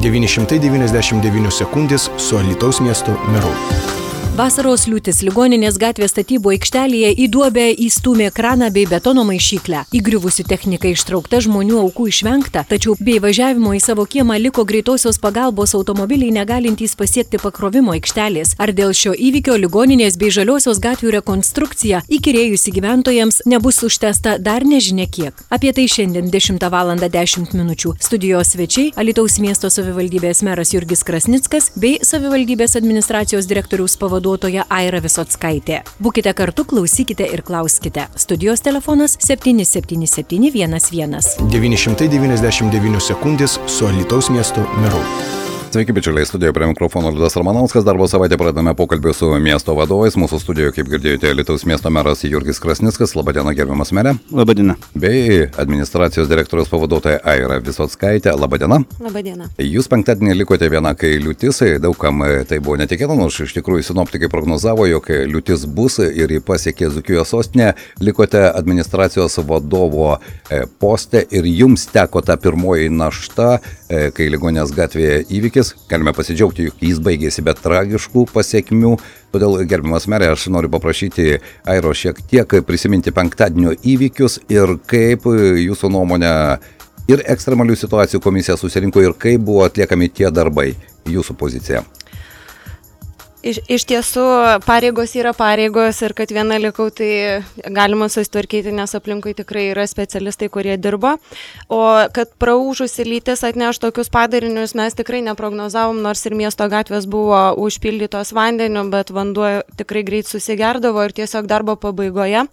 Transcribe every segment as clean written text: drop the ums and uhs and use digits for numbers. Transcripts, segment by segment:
999 sekundės su Alytaus miesto meru. Vasaros liūtis ligoninės gatvės statybų aikštelėje į duobę įstūmė kraną bei betono maišyklę. Įgriuvusi technika ištraukta, žmonių aukų išvengta, tačiau bei važiavimo į savo kiemą liko greitosios pagalbos automobiliai negalintys pasiekti pakrovimo aikštelės. Ar dėl šio įvykio ligoninės bei žaliosios gatvių rekonstrukcija įkyrėjusi gyventojams nebus užtęsta dar nežinia kiek. Apie tai šiandien 10:10 min. Studijos svečiai Alytaus miesto savivaldybės meras Jurgis Krasnickas bei savivaldybės administracijos direktoriaus pavaduotoja Aira Visockaitė. Būkite kartu, klausykite ir klauskite. Studijos telefonas 77711. 999 sekundės su Alytaus miesto meru. Sveiki, bičiuliai, studijoje prie mikrofono Liudas Ramanauskas. Darbo savaitę pradame pokalbį su miesto vadovais. Mūsų studijoje, kaip girdėjote, Alytaus miesto meras Jurgis Krasnickas. Labadiena, gerbiamas mere. Labadiena. Bei administracijos direktoriaus pavaduotoja Aira Visockaitė. Labadiena. Labadiena. Jūs penktadienį likote viena, kai liūtis, daugam tai buvo netikėta, nors iš tikrųjų sinoptikai prognozavo, jog liūtis bus ir jį pasiekė Dzūkijos sostinę. Likote administracijos vadovo poste ir jums teko ta pirmoji našta, kai ligoninės gatvėje įvykis. Galime pasidžiaugti, jog jis baigėsi be tragiškų pasiekmių. Todėl, gerbiamas merė, aš noriu paprašyti Airo šiek tiek prisiminti penktadienio įvykius ir kaip jūsų nuomonė ir ekstremalių situacijų komisija susirinko ir kaip buvo atliekami tie darbai. Jūsų pozicija. Iš tiesų, pareigos yra pareigos ir kad viena likau, tai galima susitvarkyti, nes aplinkui tikrai yra specialistai, kurie dirba. O kad praūžusi lytis atneš tokius padarinius, mes tikrai neprognozavom, nors ir miesto gatvės buvo užpildytos vandeniu, bet vanduo tikrai greit susigerdavo ir tiesiog darbo pabaigoje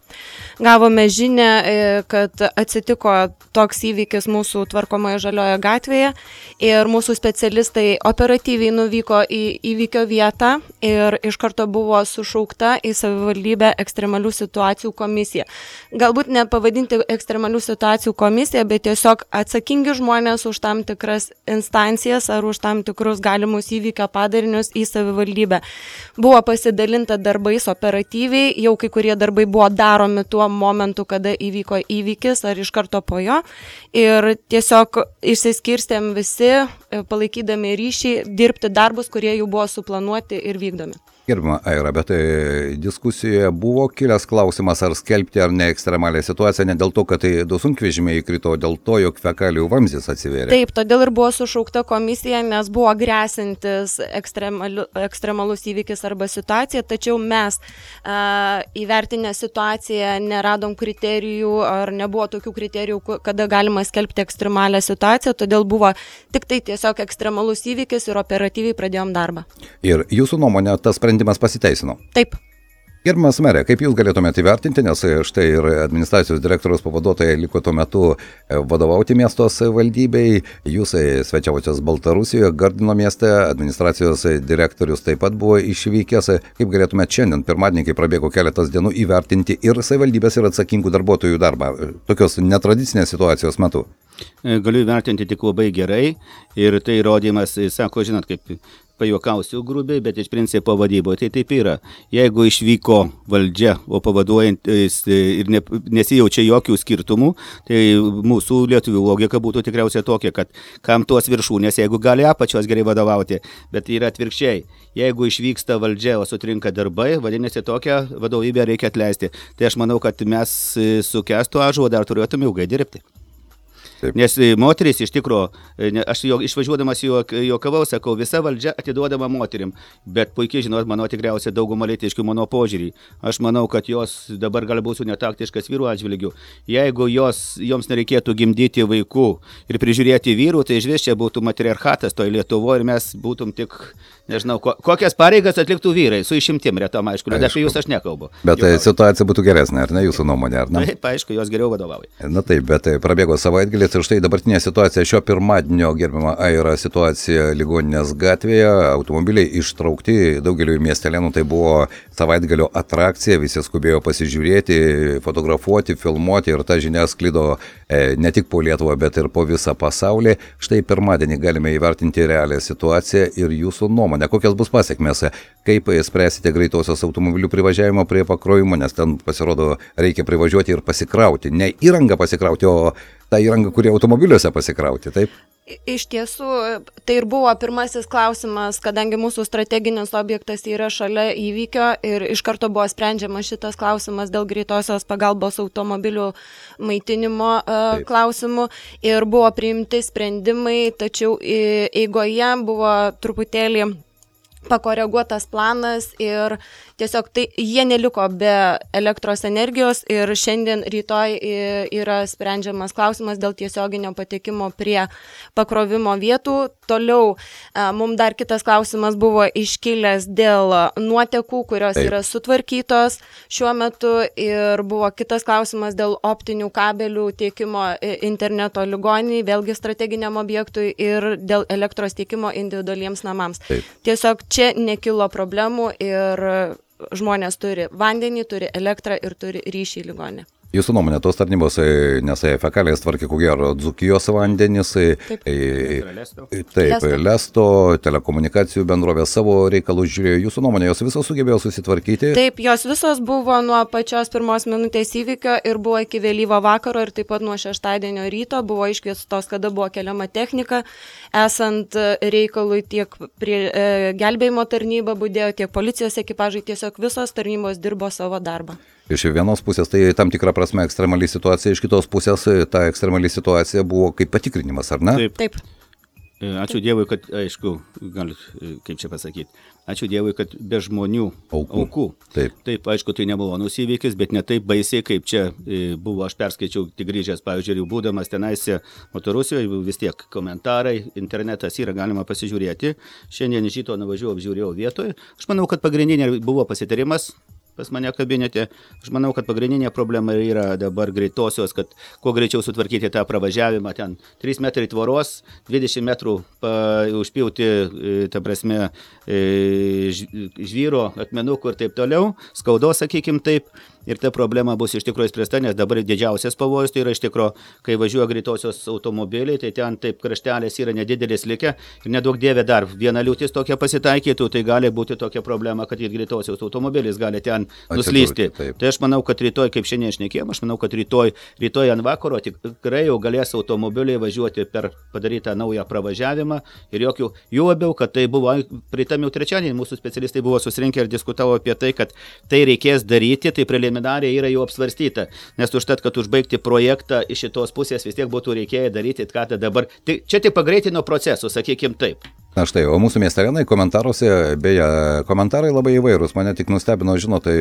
gavome žinią, kad atsitiko toks įvykis mūsų tvarkomoje žalioje gatvėje ir mūsų specialistai operatyviai nuvyko į įvykio vietą ir iš karto buvo sušaukta į savivaldybę ekstremalių situacijų komisiją. Galbūt nepavadinti ekstremalių situacijų komisiją, bet tiesiog atsakingi žmonės už tam tikras instancijas ar už tam tikrus galimus įvykio padarinius į savivaldybę. Buvo pasidalinta darbais operatyviai, jau kai kurie darbai buvo daromi tuo momentu, kada įvyko įvykis ar iš karto po jo. Ir tiesiog išsiskirstėm visi, palaikydami ryšį, dirbti darbus, kurie jau buvo suplanuoti ir vykdomi. Gerbima Aira, bet diskusijoje buvo kilęs klausimas, ar skelbti ar ne ekstremalią situaciją, ne dėl to, kad tai du sunkvežimiai įkrito, dėl to, jog fekalijų vamzdis atsivėrė. Taip, todėl ir buvo sušaukta komisija, nes buvo grėsintis ekstremalus įvykis arba situacija, tačiau mes įvertinę situaciją neradom kriterijų ar nebuvo tokių kriterijų, kada galima skelbti ekstremalią situaciją, todėl buvo tik tai tiesiog ekstremalus įvykis ir operatyviai pradėjom darbą. Ir jūsų nuomonė, tas sprendimas pasiteisino? Taip. Gerbiamas merė, kaip jūs galėtumėte įvertinti, nes štai ir administracijos direktoriaus pavaduotoja liko tuo metu vadovauti miesto savivaldybei, jūs svečiavotės Baltarusijoje, Gardino mieste, administracijos direktorius taip pat buvo išvykęs. Kaip galėtumėte šiandien, pirmadienį, kai prabėgo keletas dienų, įvertinti ir savivaldybės ir atsakingų darbuotojų darbą tokios netradicinės situacijos metu? Galiu įvertinti tik labai gerai ir tai įrodymas, sako, žinot, kaip pajuokausiu grubiai, bet iš principo vadyboje tai taip yra. Jeigu išvyko valdžia, o pavaduojant ir nesijaučia jokių skirtumų, tai mūsų lietuvių logika būtų tikriausiai tokia, kad kam tuos viršūnės, jeigu gali apačios gerai vadovauti, bet yra atvirkščiai. Jeigu išvyksta valdžia, o sutrinka darbai, vadinasi, tokią vadovybę reikia atleisti. Tai aš manau, kad mes su Kęstu Ąžuolu dar turėtume ilgai dirbti. Taip. Nes moteris iš tikro, aš išvažiuodamas juokavau, sakau, visa valdžia atiduodama moterim, bet puikiai žinot, mano tikriausiai dauguma lytiškių mano požiūrį. Aš manau, kad jos dabar gali būti netaktiškas vyrų atžvilgių. Jeigu joms nereikėtų gimdyti vaikų ir prižiūrėti vyrų, tai išvis čia būtų matriarchatas toj Lietuvoje ir mes būtum tik, nežinau, kokias pareigas atliktų vyrai, su išimtim retom, aišku, bet apie jūs aš nekalbu. Bet situacija būtų geresnė, ar ne, jūsų nuomonė, ar ne? Taip, aišku, jos geriau vadovauja. Na taip, bet prabėgo savaitgalis ir štai dabartinė situacija šio pirmadienio, gerbima Aira, situacija ligoninės gatvėje, automobiliai ištraukti daugeliu miestelėnų, tai buvo savaitgalio atrakcija, visi skubėjo pasižiūrėti, fotografuoti, filmuoti ir ta žinia sklido ne tik po Lietuvą, bet ir po visą pasaulį. Štai pirmadienį galime įvertinti realią situaciją ir jūsų nuomonę, kokios bus pasiekmės, kaip spręsite greitosios automobilių privažiavimo prie pakrovimo, nes ten pasirodo reikia privažiuoti ir pasikrauti, ne įrangą pasikrauti, o tą įrangą, kurie automobiliuose pasikrauti, taip? Iš tiesų, tai ir buvo pirmasis klausimas, kadangi mūsų strateginis objektas yra šalia įvykio ir iš karto buvo sprendžiamas šitas klausimas dėl greitosios pagalbos automobilių maitinimo klausimų ir buvo priimti sprendimai, tačiau eigoje buvo truputėlį pakoreguotas planas ir tiesiog jie neliko be elektros energijos ir šiandien rytoj yra sprendžiamas klausimas dėl tiesioginio patekimo prie pakrovimo vietų. Toliau mums dar kitas klausimas buvo iškilęs dėl nuotekų, kurios yra sutvarkytos šiuo metu ir buvo kitas klausimas dėl optinių kabelių tiekimo interneto ligoninei, vėlgi strateginiam objektui ir dėl elektros tiekimo individualiems namams. Tiesiog čia nekilo problemų ir žmonės turi vandenį, turi elektrą ir turi ryšį į ligoninę. Jūsų nuomonė, tos tarnybos, nes fekalijas tvarkė ko gero Dzūkijos vandenis, taip, Lesto, telekomunikacijų bendrovė savo reikalus žiūrėjo. Jūsų nuomonė, jos visos sugebėjo susitvarkyti? Taip, jos visos buvo nuo pačios pirmos minutės įvykio ir buvo iki vėlyvo vakaro ir taip pat nuo šeštadienio ryto buvo iškviestos, kada buvo keliama technika. Esant reikalui tiek prie gelbėjimo tarnyba budėjo, tiek policijos ekipažai, tiesiog visos tarnybos dirbo savo darbą. Iš vienos pusės tai tam tikrą prasme ekstremali situacija, iš kitos pusės ta ekstremali situacija buvo kaip patikrinimas, ar ne? Taip. Ačiū Dievui, kad, aišku, galit, kaip čia pasakyti, ačiū Dievui, kad be žmonių aukų. Taip, aišku, tai nebuvo įvykis, bet ne taip baisiai, kaip čia buvo, aš perskaičiau tik grįžęs, pavyzdžiui, būdamas tenaise Baltarusijoje, vis tiek komentarai, internetas yra, galima pasižiūrėti. Šiandien iš ryto nuvažiuoju, apžiūrėjau vietoje. Aš manau, kad pagrindinė buvo pasitarimas pas mane kabinete. Aš manau, kad pagrindinė problema yra dabar greitosios, kad kuo greičiau sutvarkyti tą pravažiavimą, ten 3 metrai tvoros, 20 metrų užpjauti, ta prasme, žvyro, akmenukų ir taip toliau, skaudos, sakykim taip. Ir ta problema bus iš tikrųjų spręsta, nes dabar didžiausias pavojus tai yra iš tikrųjų, kai važiuoja greitosios automobiliai, tai ten taip kraštelės yra nedidelis likę ir nedaug dievė dar viena liūtis tokia pasitaikytų, tai gali būti tokia problema, kad ir greitosios automobilis gali ten nuslysti. Tai aš manau, kad rytoj, kaip šiandien šnekėjom, aš manau, kad rytoj ant vakaro tikrai jau galės automobiliai važiuoti per padarytą naują pravažiavimą ir jokių, jų labiau, kad tai buvo, pritam jau trečiadienį mūsų specialistai buvo susirinkę ir diskutavo apie tai, kad tai reikės daryti, tai preliminariai yra jau apsvarstyta, nes užtat, kad užbaigti projektą iš šitos pusės vis tiek būtų reikėję daryti, ką tai dabar. Čia tik pagreitino procesų, sakykim taip. Na štai, o mūsų miestelėnai komentaruose, beje, komentarai labai įvairūs, mane tik nustebino, žinot, tai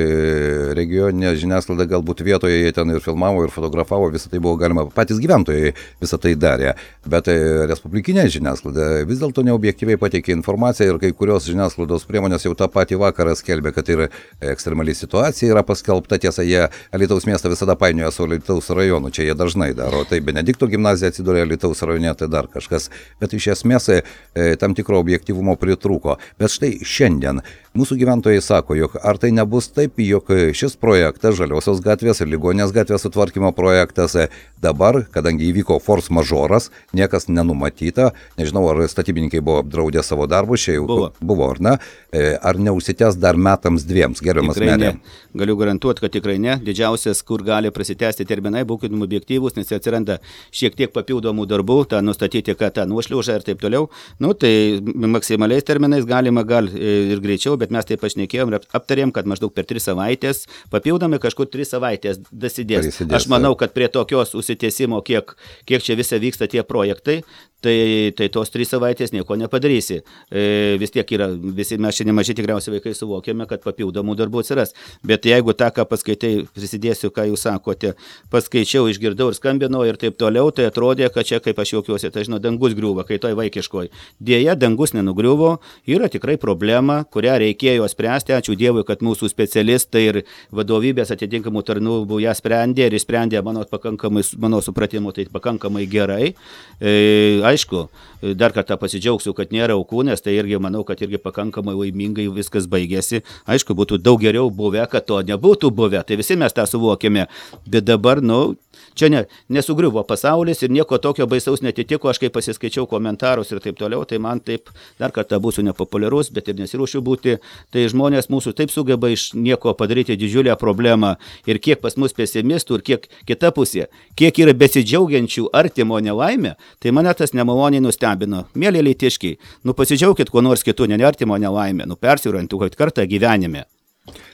regioninė žiniasklaida galbūt vietoje jie ten ir filmavo, ir fotografavo, visą tai buvo galima, patys gyventojai visą tai darė, bet respublikinė žiniasklaida vis dėlto neobjektyviai pateikė informaciją ir kai kurios žiniasklaidos priemonės jau tą patį vakarą skelbė, kad ir ekstremali situacija yra paskelbta, tiesa, jie Alytaus miestą visada painioja su Alytaus rajonu, čia jie dažnai daro, tai Benedikto gimnazija atsidūrė Alytaus rajone, tai dar kažkas, bet iš esmės tam tikro objektyvumo pritrūko. Bet štai šiandien mūsų gyventojai sako, jog ar tai nebus taip, jog šis projektas, Žaliosios gatvės ir Ligoninės gatvės sutvarkymo projektas, dabar, kadangi įvyko force majoras, niekas nenumatyta, nežinau, ar statybininkai buvo apdraudę savo darbus, čia jau buvo, ar ne, ar neužsitęs dar metams dviems, gerbiamas merė? Galiu garantuoti, kad tikrai ne. Didžiausias, kur gali prasitęsti terminai, būkite objektyvūs, nes atsiranda šiek tiek papildomų darbų, tą nustatyti, kad tą nuošliaužą ir taip toliau. Nu, tai maksimaliais terminais galima ir greičiau, bet mes taip pašnekėjom ir aptarėm, kad maždaug per 3 savaitės, papildomai kažkur 3 savaitės dasidės. Aš manau, kad prie tokios užsitęsimo, kiek čia visa vyksta tie projektai, tai tos 3 savaitės nieko nepadarysi. Vis tiek yra, visi mes šiandien maži tikriausiai vaikai suvokiame, kad papildomų darbų atsiras. Bet jeigu tą, ką paskaitai, prisidėsiu, ką jūs sakote, paskaičiau, išgirdau ir skambinau ir taip toliau, tai atrodė, kad čia, kaip aš juokiuosi, tai žinau, dangus griūva, kai toj vaikiškoj. Dėja, dangus nenugriuvo, yra tikrai problema, kurią reikėjo spręsti. Ačiū Dievui, kad mūsų specialistai ir vadovybės atitinkamų tarnybų ją sprendė ir išsprendė, mano supratimu, tai pakankamai gerai. aišku, dar kartą pasidžiaugsiu, kad nėra aukų, nes tai irgi manau, kad irgi pakankamai laimingai viskas baigėsi. Aišku, būtų daug geriau buvę, kad to nebūtų buvę, tai visi mes tą suvokėme, bet dabar, čia nesugriuvo pasaulis ir nieko tokio baisaus netitiko, aš kai pasiskaičiau komentarus ir taip toliau, tai man taip, dar kartą būsiu nepopuliarus, bet ir nesiruošiu būti, tai žmonės mūsų taip sugeba iš nieko padaryti didžiulę problemą ir kiek pas mus pesimistų ir kiek kita pusė, kiek yra besidžiaugiančių artimo nelaimė, tai mane tas nemaloniai nustebino. Mėly leitiškiai, pasidžiaukit kuo nors kitų, ne artimo nelaimė, persiorientuokit kartą gyvenime.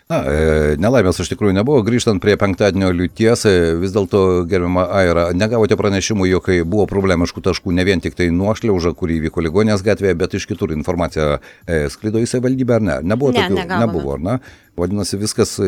Nelaimės iš tikrųjų nebuvo. Grįžtant prie penktadienio liūties, vis dėlto, gerbiama Aira, negavote pranešimų, jog buvo problemiškų taškų ne vien tik tai nuošliauža, kuri įvyko Ligoninės gatvėje, bet iš kitur informacija sklido į savivaldybę, ar ne? Nebuvo tokių? Nebuvo, ar ne? Vadinasi, viskas,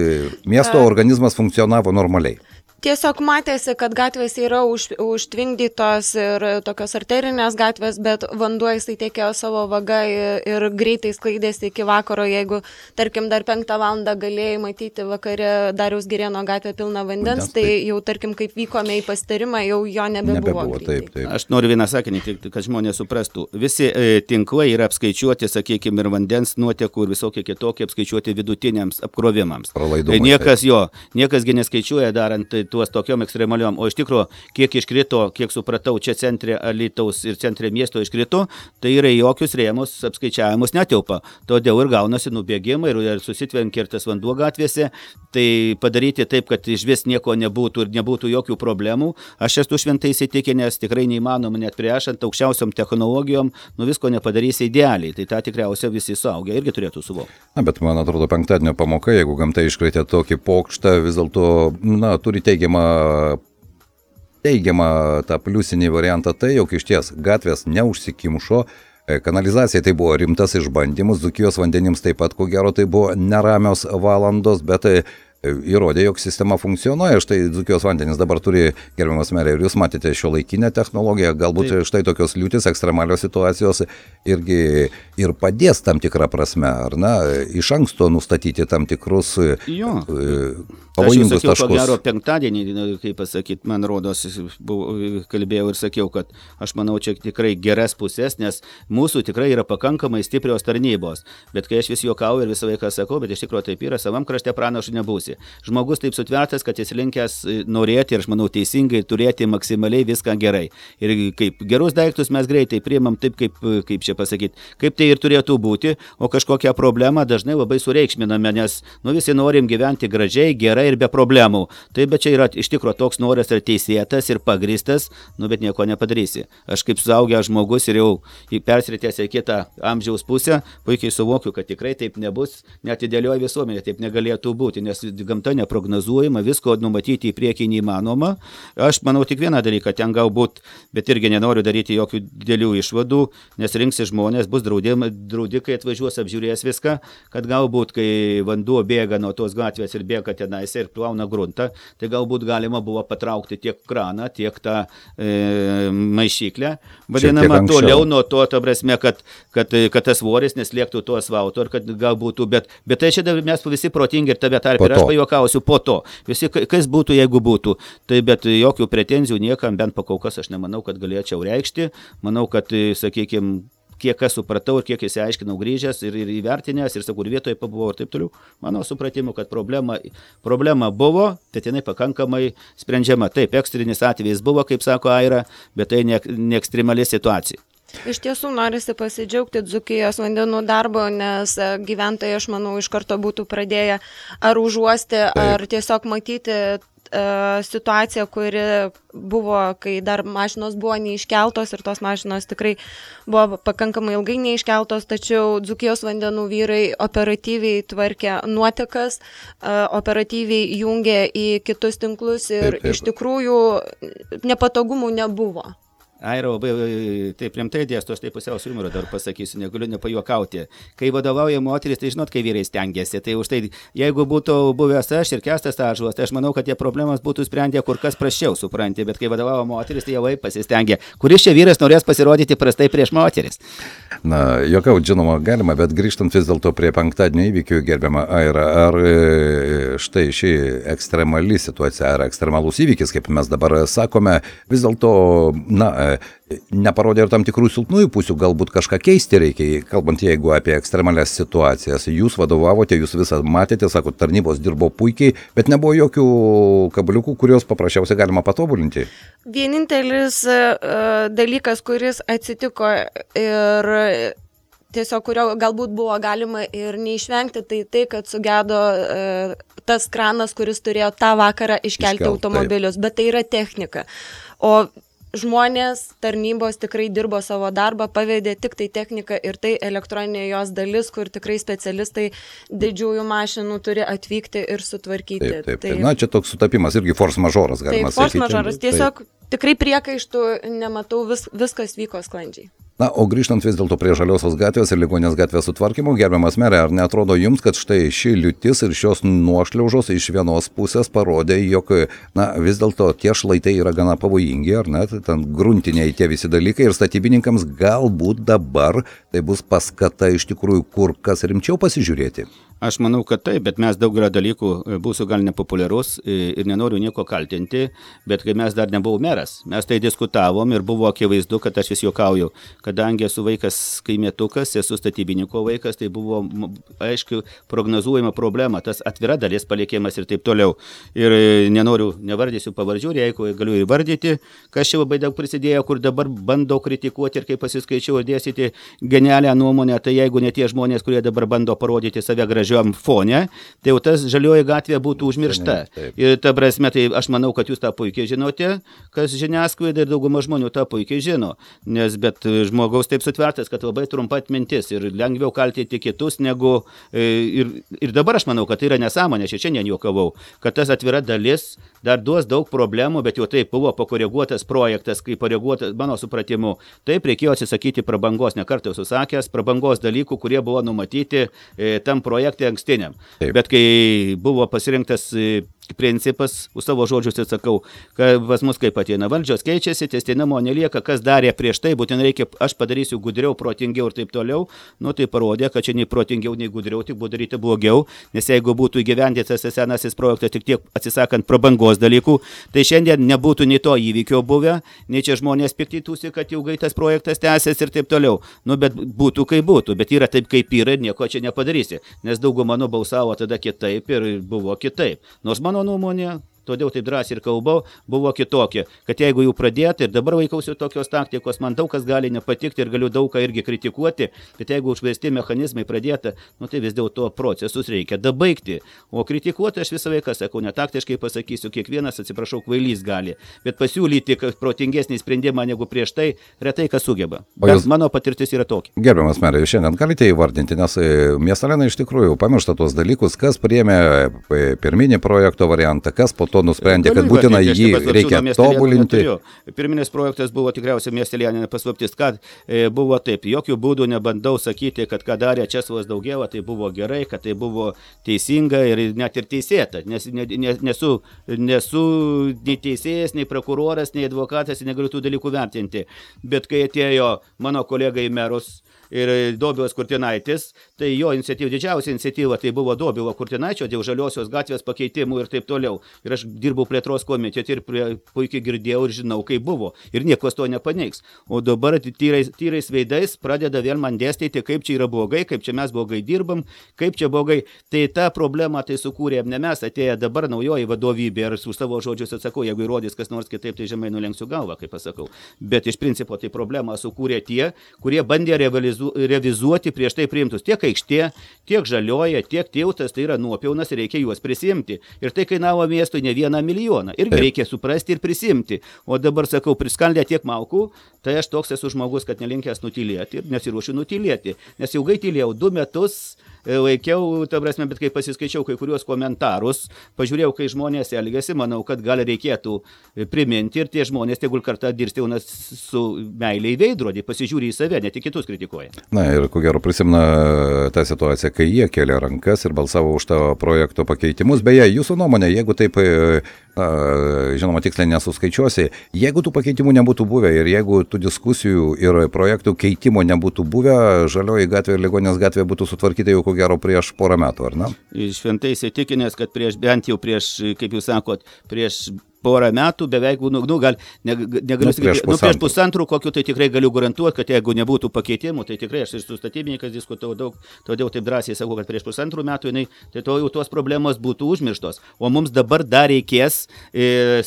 miesto organizmas funkcionavo normaliai. Tiesiog matėsi, kad gatvės yra užtvingdytos ir tokios arterinės gatvės, bet vanduo jisai tekėjo savo vaga ir greitai sklaidėsi iki vakaro. Jeigu, tarkim, dar 5 valandą galėjai matyti vakare Dariaus Girėno gatvę pilną vandens, tai jau, tarkim, kaip vykome į pasitarimą, jau jo nebebuvo. Taip. Aš noriu vieną sakinį, kad žmonės suprastų. Visi tinklai yra apskaičiuoti, sakykime, ir vandens nuotekų ir visokie kitokie apskaičiuoti vidutiniams apkrovimams. Niekasgi neskaičiuoja darant tuos tokiom ekstremaliom, o iš tikrųjų, kiek iškrito, kiek supratau, čia centre Alytaus ir centre miesto iškrito, tai yra jokius rėmus apskaičiavimus netilpa. Todėl ir gaunasi nubėgimai ir susitvenkia ir tas vanduo gatvėse, tai padaryti taip, kad iš vis nieko nebūtų ir nebūtų jokių problemų. Aš esu šventai įsitikinęs, tikrai neįmanoma net priešant aukščiausiom technologijom, visko nepadarysi idealiai, tai tą tikriausiai visi suaugę irgi turėtų suvokti. Bet man atrodo, penktadienio pamoka, jeigu gamta iškrėtė tokį pokštą, vis dėlto, turi teigiamą tą pliusinį variantą tai, jog iš ties gatvės neužsikimšo, kanalizacija tai buvo rimtas išbandymus, Dzūkijos vandenims taip pat, ko gero, tai buvo neramios valandos, bet įrodė, jog sistema funkcionuoja. Štai Dzūkijos vandenys dabar turi, gerbiamas merė, ir jūs matėte šiuolaikinę technologiją, galbūt štai tokios liūtis, ekstremalios situacijos irgi ir padės tam tikrą prasme, ar ne, iš anksto nustatyti tam tikrus pavojingus taškus. Aš jau sakiau, ko gero penktadienį, kaip pasakyti, man rodos, kalbėjau ir sakiau, kad aš manau, čia tikrai geras pusės, nes mūsų tikrai yra pakankamai stiprios tarnybos, bet kai aš vis juokauju ir visą laiką sakau, bet iš tikrųjų taip yra, savam krašte pranašu nebūsi. Žmogus taip sutvertas, kad jis linkęs norėti ir aš manau teisingai turėti maksimaliai viską gerai. Ir kaip gerus daiktus mes greitai priimam taip, kaip čia pasakyti, kaip tai ir turėtų būti, o kažkokią problemą dažnai labai sureikšminame, nes visi norim gyventi gražiai, gerai ir be problemų. Tai bet čia yra iš tikrųjų toks noras ir teisėtas ir pagristas, bet nieko nepadarysi. Aš kaip suaugęs žmogus ir jau persritęs į kitą amžiaus pusę, puikiai suvokiu, kad tikrai taip nebus, net idealioji visuomenė taip negalėtų būti, nes gamta neprognozuojama, visko numatyti į priekį neįmanoma. Aš manau tik vieną dalyką, ten galbūt, bet irgi nenoriu daryti jokių didelių išvadų, nes rinksi žmonės, bus draudikai atvažiuos, apžiūrės viską, kad galbūt, kai vanduo bėga nuo tos gatvės ir bėga tenais ir plauna gruntą, tai galbūt galima buvo patraukti tiek kraną, tiek tą maišyklę, vadinama toliau nuo to, ta prasme, kad tas svoris neslėgtų to asfalto ir kad galbūt, bet tai čia mes visi protingi ir tave tarp ir aš pajuokausiu po to. Visi, kas būtų, jeigu būtų. Tai bet jokių pretenzijų niekam, bent pakol kas aš nemanau, kad galėčiau reikšti. Manau, kad, sakykime, kiek aš supratau ir kiek įsiaiškinau grįžęs ir įvertinęs ir sakau, ir vietoje pabuvau ir taip toliau. Mano supratimu, kad problema buvo, bet jinai pakankamai sprendžiama. Taip, ekstrinis atvejis buvo, kaip sako Aira, bet tai ne ekstremali situacija. Iš tiesų norisi pasidžiaugti Dzūkijos vandenų darbo, nes gyventojai, aš manau, iš karto būtų pradėję ar užuosti, ar tiesiog matyti situaciją, kuri buvo, kai dar mašinos buvo neiškeltos ir tos mašinos tikrai buvo pakankamai ilgai neiškeltos, tačiau Dzūkijos vandenų vyrai operatyviai tvarkė nuotekas, operatyviai jungė į kitus tinklus ir iš tikrųjų nepatogumų nebuvo. Aira labai taip rimtai dėsto, aš taip pusiau su jumoru dar pasakysiu, negaliu nepajuokauti. Kai vadovauja moteris, tai žinot, kai vyrai stengiasi, tai už tai, jeigu būtų buvęs aš ir Kęstas Ąžuolas, tai aš manau, kad tie problemas būtų sprendę kur kas prasčiau, supranti, bet kai vadovavo moteris, tai jau pasistengė. Kuris čia vyras norės pasirodyti prastai prieš moteris? Na, juokauti, žinoma, galima, bet grįžtant vis dėlto prie penktadienio įvykių, gerbiama Aira, ar štai ši ekstremali situacija, ar ekstremalus įvykis, kaip mes dabar sakome, vis dėlto, neparodė ir tam tikrų silpnųjų pusių, galbūt kažką keisti reikia, kalbant jeigu apie ekstremalias situacijas. Jūs vadovavote, jūs visą matėte, sako, tarnybos dirbo puikiai, bet nebuvo jokių kabliukų, kuriuos paprasčiausiai galima patobulinti. Vienintelis dalykas, kuris atsitiko ir tiesiog kurio galbūt buvo galima ir neišvengti, tai kad sugedo tas kranas, kuris turėjo tą vakarą iškelti automobilius, bet tai yra technika. O žmonės, tarnybos tikrai dirbo savo darbą, pavedė tik tai techniką ir tai elektroninė jos dalis, kur tikrai specialistai didžiųjų mašinų turi atvykti ir sutvarkyti. Taip. Na, čia toks sutapimas, irgi force majoras, galima sakyti. Force majoras, tiesiog tikrai priekaištų nematau, viskas vyko sklandžiai. Na, o grįžtant vis dėlto prie Žaliosios gatvės ir Ligoninės gatvės sutvarkymo, gerbiamas merė, ar neatrodo jums, kad štai ši liūtis ir šios nuošliaužos iš vienos pusės parodė, jog, na, vis dėlto tie šlaitai yra gana pavojingi, ar ne, ten gruntiniai tie visi dalykai ir statybininkams galbūt dabar tai bus paskata iš tikrųjų kur kas rimčiau pasižiūrėti? Aš manau, kad taip, bet mes daugelio dalykų būsiu gal nepopuliarus ir nenoriu nieko kaltinti, bet kai mes dar nebuvau meras, mes tai diskutavom ir buvo akivaizdu, kad aš vis juokauju, kadangi esu vaikas kaimietukas, esu statybininko vaikas, tai buvo, aišku, prognozuojama problema, tas atvira dalis palikimas ir taip toliau. Ir nevardysiu pavardžių, jeigu galiu įvardyti, kas čia labai daug prisidėjo, kur dabar bandau kritikuoti ir kai pasiskaičiau ir dėstyti genialią nuomonę, tai jeigu ne tie žmonės, kurie dabar bando parodyti save gražiai fone, tai jau tas Žalioji gatvė būtų užmiršta. Ir ta prasme, tai aš manau, kad jūs tą puikiai žinote, kas žiniasklaida ir dauguma žmonių tą puikiai žino, bet žmogaus taip sutvertas, kad labai trumpa atmintis ir lengviau kaltinti kitus negu ir dabar aš manau, kad tai yra nesąmonė, šiandien juokavau, kad tas atvira dalis dar duos daug problemų, bet jau taip buvo pakoreguotas projektas, kai pakoreguotas mano supratimu, taip reikėjo atsisakyti prabangos, nekartą esu sakęs, prabangos dalykų, kurie buvo numatyti tam projekte ankstiniam. Taip. Bet kai buvo pasirinktas principas, už savo žodžius atsakau, kad pas mus kaip ateina valdžios keičiasi, tęstinumo nelieka, kas darė prieš tai, būtent reikia, aš padarysiu gudriau, protingiau ir taip toliau, tai parodė, kad čia nei protingiau, nei gudriau, tik buvo daryti blogiau, nes jeigu būtų įgyvendintas senasis projektas tik tiek atsisakant prabangos dalykų, tai šiandien nebūtų nei to įvykio buvę, nei čia žmonės piktytųsi, kad ilgai tas projektas tęsės ir taip toliau, bet būtų kaip būtų, bet yra taip kaip yra ir nieko čia nepadarysi, nes dauguma nubalsavo tada kitaip ir buvo kitaip, nors mano nuomonė, todėl taip drąsiai ir kalbau, buvo kitokia, kad jeigu jau pradėti ir dabar vaikausiu tokios taktikos, man daug kas gali nepatikti ir galiu daug ką irgi kritikuoti, bet jeigu užvesti mechanizmai pradėta, tai vis dėlto procesus reikia dabaigti, o kritikuoti aš visą laiką sakau, netaktiškai pasakysiu, kiekvienas, atsiprašau, kvailys gali, bet pasiūlyti protingesnį sprendimą negu prieš tai, retai kas sugeba. Bet mano patirtis yra tokia. Gerbiamas merė, jūs šiandien galite įvardinti, nes miestelėnai iš tikrųjų pamiršta tuos dalykus, kas priėmė pirminį projekto variantą, kas po to nusprendė, kad būtina jį reikia tobulinti. Pirminis projektas buvo tikriausiai miestelėnė paslaptis, kad buvo taip, jokių būdų nebandau sakyti, kad ką darė Česlovas Daugėla, tai buvo gerai, kad tai buvo teisinga ir net ir teisėta, nes nesu nei teisėjas, nei prokuroras, nei advokatas, negaliu tų dalykų vertinti, bet kai atėjo mano kolega į merus, ir Dobilas Kurtinaitis, tai jo iniciatyva, didžiausia iniciatyva, tai buvo Dobilo Kurtinaičio dėl Žaliosios gatvės pakeitimų ir taip toliau. Ir aš dirbau plėtros komitete ir puikiai girdėjau ir žinau, kaip buvo. Ir niekas to nepaneigs. O dabar tyrais veidais pradeda vėl man dėstyti, kaip čia yra blogai, kaip čia mes blogai dirbam, kaip čia blogai. Tai tą problemą tai sukūrėm ne mes, atėję dabar naujoji vadovybė ir su savo žodžius atsakau, jeigu įrodys kas nors kitaip, tai žemai nulenksiu galvą, kaip pasakau. Bet iš principo tai problemą sukūrė tie, kurie bandė revizuoti prieš tai priimtus tiek aikštė, tiek Žalioja, tiek tiltas, tai yra nuopelnas ir reikia juos prisimti. Ir tai kainavo miestui ne 1 milijoną. Irgi reikia suprasti ir prisimti. O dabar sakau, priskaldė tiek malkų, tai aš toks esu žmogus, kad nelinkęs nutylėti ir nesiruošiu nutylėti. Nes ilgai tylėjau 2 metus, laikiau, ta prasme, bet kai pasiskaičiau kai kuriuos komentarus, pažiūrėjau, kai žmonės elgiasi, manau, kad gal reikėtų priminti ir tie žmonės tegul kartą dirsteunas su meilė į veidrodį, pasižiūri į save, ne tik kitus kritikuoja. Na ir ko gero prisimena tą situaciją, kai jie kėlė rankas ir balsavo už tą projekto pakeitimus. Beje, jūsų nuomonė, jeigu taip, žinoma, tiksliai nesuskaičiuosi, jeigu tų pakeitimų nebūtų buvę ir jeigu tų diskusijų ir projektų keitimo nebūtų buvę, Žalioji gatvė ir Ligoninės gatvė būtų sutvarkyta jau ko gero prieš porą metų, ar ne? Šventai įsitikinęs, kad bent jau prieš, kaip jūs sakot, prieš porą metų beveik, negaliu sakyti, prieš pusantrų kokių, tai tikrai galiu garantuoti, kad jeigu nebūtų pakeitimų, tai tikrai aš ir su statybininkas diskutavau daug, todėl taip drąsiai sakau, kad prieš pusantrų metų tai to jau tos problemos būtų užmirštos. O mums dabar dar reikės,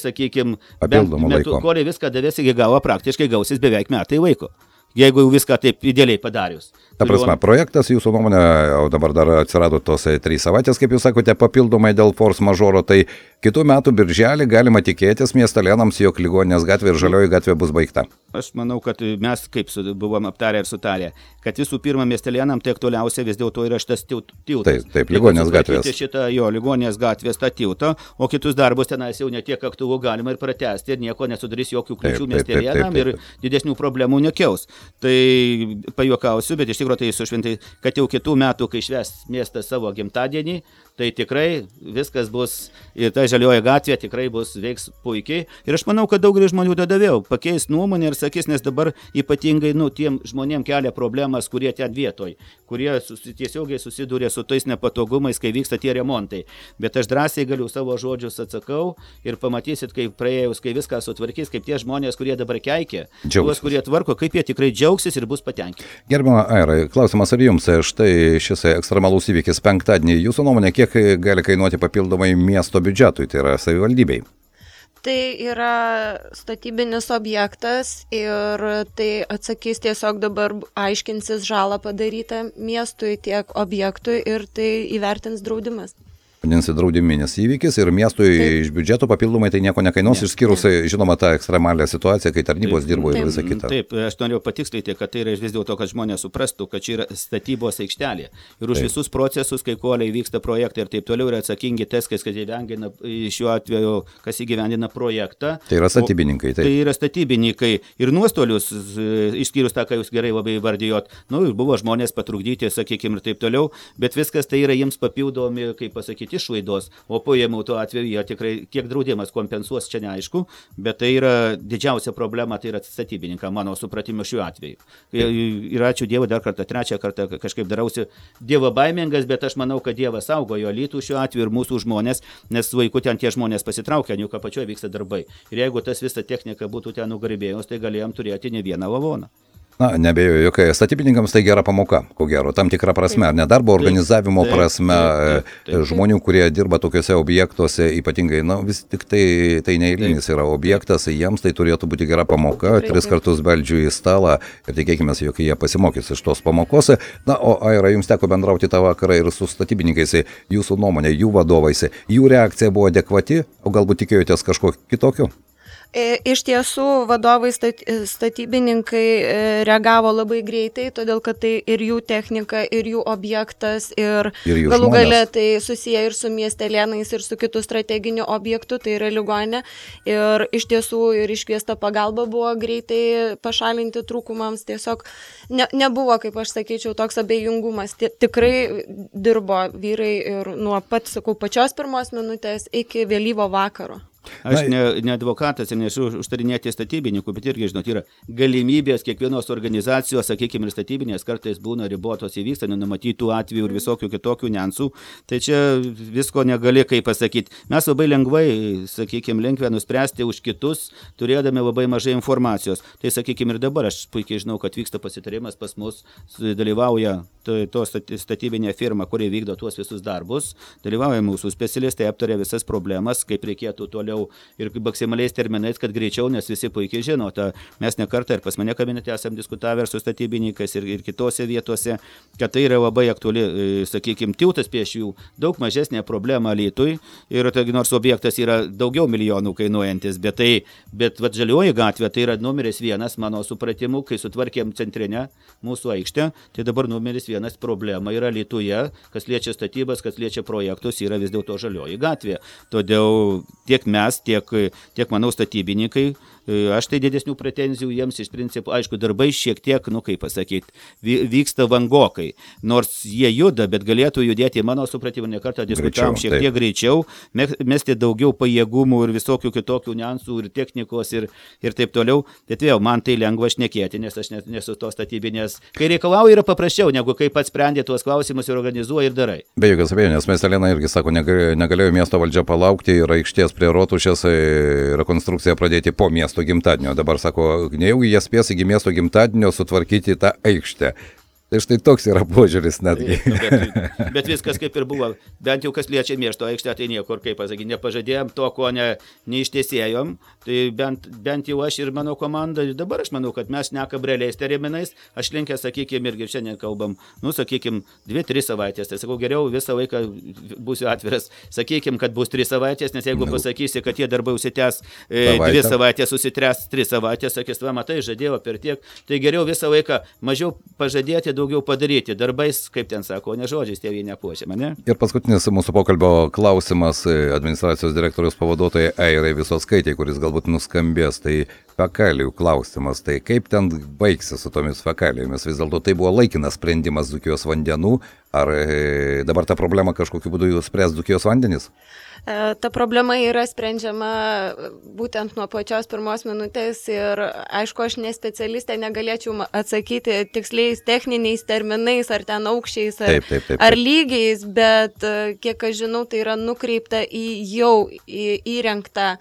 sakykime, kol viską davės iki galo, praktiškai gausis beveik metai laiko. Jeigu viską taip idealiai padarius. Ta prasme, projektas jūsų nuomonė, o dabar dar atsirado tos 3 savaitės, kaip jūs sakote, papildomai dėl force mažoro, tai kitų metų birželį galima tikėtis miestelėnams, jog Ligoninės gatvė ir Žalioji gatvė bus baigta. Aš manau, kad mes kaip buvom aptarę ir sutarę, kad visų pirma miestelėnam tai aktualiausia vis dėlto yra šitas tiltas. Taip, Ligoninės gatvės. Šitą Ligoninės gatvės tą tiltą, o kitus darbus tenais jau ne tiek aktualu galima ir pratęsti ir nieko nesudarys jokių kliūčių miestelėnam ir didesnių problemų nekels. Tai pajuokausiu, bet iš tikrųjų tai sušventai, kad jau kitų metų, kai švęs miestas savo gimtadienį, tai tikrai viskas bus ir ta Žalioji gatvė tikrai veiks puikiai. Ir aš manau, kad daugelis žmonių tada vėl pakeis nuomonę ir sakys, nes dabar ypatingai tiem žmonėm kelia problemas, kurie ten vietoj, kurie tiesiogiai susiduria su tais nepatogumais, kai vyksta tie remontai. Bet aš drąsiai galiu savo žodžius atsakau ir pamatysit, kaip praėjus, kai viską sutvarkys, kaip tie žmonės, kurie dabar keikia, tuos, kurie tvarko, kaip jie tikrai džiaugsis ir bus patenkinti. Gerbiama Aira, klausimas ar jums, štai šis ekstremalus įvykis penktadienį, jūsų nuomonė, kiek gali kainuoti papildomai miesto biudžetui, tai yra savivaldybei? Tai yra statybinis objektas ir tai atsakys tiesiog dabar aiškinsis žalą padarytą miestui tiek objektui ir tai įvertins draudimas. Vadinasi, draudiminis įvykis ir miestui iš biudžeto papildomai tai nieko nekainuos, išskyrus, žinoma, tą ekstremalią situaciją, kai tarnybos dirbo ir visa kita. Taip, aš norėjau patikslinti, kad tai yra vis dėlto, kad žmonės suprastų, kad čia yra statybos aikštelė. Ir už visus procesus, kai koliai vyksta projektai ir taip toliau, yra atsakingi teskas, kad įgyvendina šiuo atveju, kas įgyvendina projektą. Tai yra statybininkai. Tai yra statybininkai. Ir nuostolius, išskyrus tą, ką jūs gerai labai vardijot, buvo žmonės patrukdyti, sakykime, ir taip toliau, bet viskas tai yra jiems papildomi, kaip pasakyti, išlaidos, o paėmų tuo atveju jie tikrai, kiek draudimas kompensuos, čia neaišku, bet tai yra didžiausia problema, tai yra statybininką, mano supratimo šiuo atveju. Ir ačiū Dievui dar kartą, trečią kartą kažkaip darausi Dievo baimingas, bet aš manau, kad Dievas saugojo Alytų šiuo atveju ir mūsų žmonės, nes vaikų ten tie žmonės pasitraukia, juk apačioje vyksta darbai. Ir jeigu tas visa technika būtų ten nugarbėjus, tai galėjom turėti ne vieną lavoną. Na, nebejoju, jog statybininkams tai gera pamoka, ko gero, tam tikrą prasme, ar ne darbo organizavimo prasme, žmonių, kurie dirba tokiuose objektuose, ypatingai, vis tik tai neeilinis yra objektas, jiems tai turėtų būti gera pamoka, 3 kartus beldžiu į stalą ir tikėkime, jog jie pasimokys iš tos pamokos. Na, o Aira, jums teko bendrauti tą vakarą ir su statybininkais, jūsų nuomonė, jų vadovais, jų reakcija buvo adekvati, o galbūt tikėjotės kažko kitokio? Iš tiesų, vadovai statybininkai reagavo labai greitai, todėl kad tai ir jų technika, ir jų objektas, ir galų gale tai susiję ir su miestelėnais, ir su kitų strateginių objektų, tai yra ligoninė. Ir iš tiesų ir iškviesta pagalba buvo greitai pašalinti trūkumams, tiesiog nebuvo, kaip aš sakyčiau, toks abejingumas. Tikrai dirbo vyrai ir nuo pačios pirmos minutės iki vėlyvo vakaro. Aš ne advokatas ir nesu užtarinėti statybininkų, bet irgi, žinot, yra galimybės kiekvienos organizacijos, sakykime, ir statybinės kartais būna ribotos įvyksta, nenumatytų atvejų ir visokių kitokių niuansų. Tai čia visko negali, kaip pasakyti. Mes labai lengvai, sakykime, lengvai nuspręsti už kitus, turėdami labai mažai informacijos. Tai, sakykime, ir dabar aš puikiai žinau, kad vyksta pasitarimas pas mus, dalyvauja to statybinė firma, kuri vykdo tuos visus darbus, dalyvauja mūsų specialistai, aptarė visas problemas, kaip reikėtų toliau ir maksimaliais terminais, kad greičiau, nes visi puikiai žino, mes ne kartą ir pas mane kabinete esam diskutavę su statybininkais ir kitose vietose, kad tai yra labai aktuali, sakykime, tiltas prieš jų daug mažesnė problema Alytui ir nors objektas yra daugiau milijonų kainuojantis, bet Žalioji gatvė tai yra numeris 1 mano supratimu, kai sutvarkėm centrinę mūsų aikštę, tai dabar numeris 1 problema yra Alytuje, kas liečia statybas, kas liečia projektus, yra vis dėlto Žalioji gatvė. Todėl tiek mes, tiek manau, statybininkai aš tai didesnių pretenzijų jiems iš principo, aišku, darbai šiek tiek, kaip pasakyti, vyksta vangokai, nors jie juda, bet galėtų judėti, mano supratimu, nekartą diskutavom šiek tiek greičiau, mesti daugiau pajėgumų ir visokių kitokių niuansų ir technikos ir taip toliau, bet vėl man tai lengva šnekėti, nes aš nesu to statybinės, kai reikalauja yra paprasčiau, negu kai pats sprendė tuos klausimus ir organizuoja ir darai. Be jokios abejonės, Miestelėna irgi sako, negalėjo miesto valdžia palaukti ir aikštės prie Rotušės rekonstrukciją pradėti po miesto gimtadienio. Dabar sako, nejaugi jie spės iki miesto gimtadienio sutvarkyti tą aikštę. Tai štai toks yra požiūris netgi. Bet viskas kaip ir buvo, bent jau kas liečia miesto aikštę, tai niekur, kaip pasakyti, nepažadėjom to, ko neištesėjom, tai bent jau aš ir mano komanda, dabar aš manau, kad mes nekam realiais terminais, aš linkęs, sakykime, irgi šiandien kalbam, sakykime, 2-3 savaitės, tai sakau, geriau visą laiką būsiu atviras, sakykime, kad bus 3 savaitės, nes jeigu pasakysi, kad tie darbai užsitęs 2 savaitės, užsitęs 3 savaitės, sakys, va, matai, žadėjau per tiek, tai geriau visą laiką mažiau pažadėti, daugiau padaryti darbais, kaip ten sako, ne žodžiais tėvynė puošiama, ne? Ir paskutinis mūsų pokalbio klausimas administracijos direktoriaus pavaduotojai Airai Visockaitei, kuris galbūt nuskambės, tai fekalijų klausimas, tai kaip ten baigsis su tomis fekalijomis? Vis dėlto tai buvo laikinas sprendimas Dzūkijos vandenų, ar dabar ta problema kažkokiu būdu spręs Dzūkijos vandenys? Ta problema yra sprendžiama būtent nuo pačios pirmos minutės ir, aišku, aš ne specialistė, negalėčiau atsakyti tiksliais techniniais terminais, ar ten aukščiais, ar lygiais, bet kiek aš žinau, tai yra nukreipta į jau įrengtą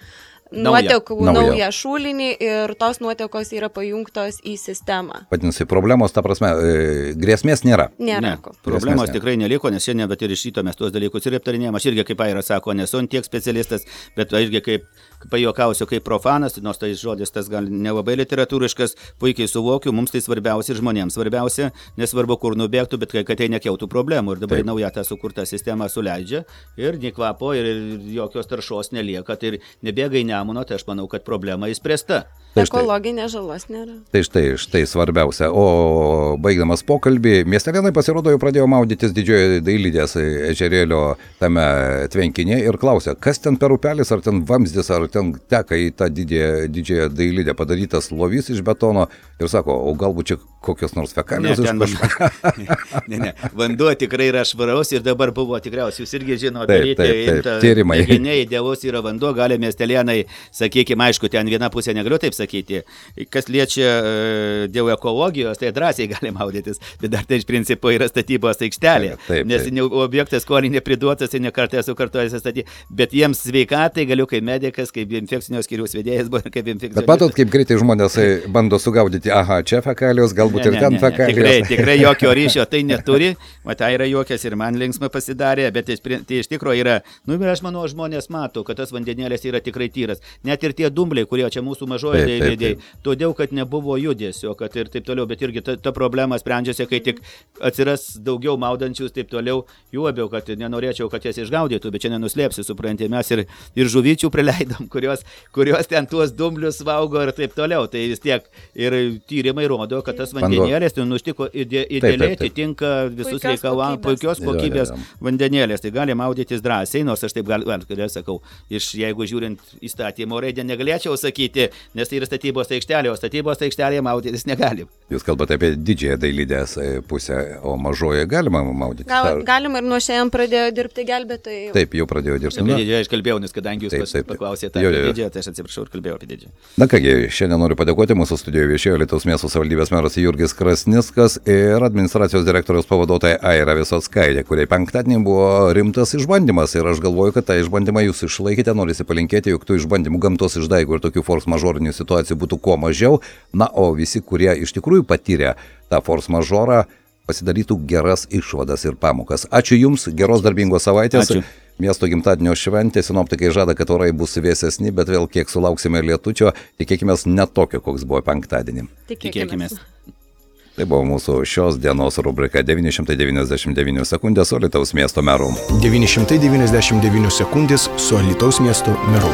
nuotekų naują šulinį ir tos nuotekos yra pajungtos į sistemą. Vadinasi, problemos, ta prasme, grėsmės nėra. Nėra. Problemos tikrai neliko, nes šiandien, bet ir iš ryto mes tuos dalykus ir aptarinėjom. Aš irgi, kaip Aira sako, nesu tiek specialistas, bet irgi kaip pajuokausiu kaip profanas, nors tai žodis tas gal nelabai literatūriškas, puikiai suvokiu, mums tai svarbiausia ir žmonėms svarbiausia, nesvarbu kur nubėgtų, bet kad tai nekeltų problemų. Ir dabar nauja ta sukurta sistema suleidžia ir nei kvapo ir jokios taršos nelieka, tai ir nebėga į Nemuno, tai aš manau, kad problema įspręsta. Ekologinės žalos nėra. Tai štai svarbiausia. O baigdamas pokalbį, Miestelėnai pasirodo jau pradėjo maudytis Didžiojo Dailidės ežerėlio tame tvenkinėje ir klausia, kas ten per upelis, ar ten vamzdis, ar ten teka į tą Didžiąją Dailidę padarytas lovys iš betono ir sako, o galbūt čia kokios nors fekalijos iš kažko. Ne, vanduo tikrai yra švaraus ir dabar buvo tikriausiai, jūs irgi žino, daryti tyrimai. Idealus yra vanduo, gali Miestelėnai, sakykime, aišku, ten viena pusė negaliu taip sakyti, kas liečia dėl ekologijos, tai drąsiai gali maudytis, bet dar tai iš principo yra statybos aikštelė, nes objektas skolį nepriduotas, tai nekartą esu kartuojęs statyti, bet jiems sveikatai galiu kaip medikas, kaip infekcinio skyriaus vedėjas, kaip infekcinio. Bet matot, kaip greitai žmonės bando sugaudyti, aha, čia fekalijos, galbūt ir ten fekalijos. Tikrai jokio ryšio tai neturi, matai yra juokas ir man linksma pasidarė, bet tai iš tikrųjų yra, aš manau, žmonės mato, kad tas vandenėlis yra tikrai tyras, net ir tie dumbliai, kurie čia mūsų mažoje dailidėje, todėl, kad nebuvo judesio, kad ir taip toliau, bet irgi ta problema sprendžiasi, kai tik atsiras daugiau maudančius, taip toliau, jų abiau, kad nenorėčiau, kad jas išgaudytų, bet čia nenuslėpsi, supranti, mes ir žuvyčių prileidom, kurios ten tuos dumblius valgo ir taip toliau, tai vis tiek ir tyrimai rodo, kad tas vandenėlis nuštiko idealiai atitinka visus reikalavimus, puikios kokybės vandenėlis, tai gali maudytis drąsiai, nors aš taip sakau, jeigu žiūrint įstatymo raidę negalėčiau sakyti, nes tai yra statybos aikštelė, o statybos aikštelėje maudytis negalim. Jūs kalbate apie Didžiąją Dailidės pusę, o mažoje galima maudytis? Galima ir nuo šiandien pradėjo dirbti gelbėtojai. Taip, jau pradėjo dirbti. Apie Didžiąją aš kalbėjau, nes kadangi jūs paklausėte apie Didžiąją, tai aš atsiprašau ir kalbėjau apie Didžiąją. Na kągi, šiandien noriu padėkoti, mūsų studijoje viešėjo Alytaus miesto savivaldybės meras Jurgis Krasnickas ir administracijos direktoriaus pavaduotoja Aira Visockaitė, kuriai penktadienį buvo rimtas išbandymas ir aš galvoju, kad tą išbandymą jūs išlaikėte, norisi palinkėti, jog tų išbandymų gamtos išdaigų ir tokių force majeurinių situacijų būtų kuo mažiau, na, o visi, kurie iš tikrųjų patyrė tą force majeurą, pasidarytų geras išvadas ir pamokas. Ačiū Jums, geros darbingos savaitės. Ačiū. Miesto gimtadienio šventė, sinoptikai žada, kad orai bus vėsesni, bet vėl kiek sulauksime lietučio, tikėkime ne tokio, koks buvo penktadienį. Tikėkime. Tai buvo mūsų šios dienos rubrika 999 sekundės su Alytaus miesto meru. 999 sekundės su Alytaus miesto meru.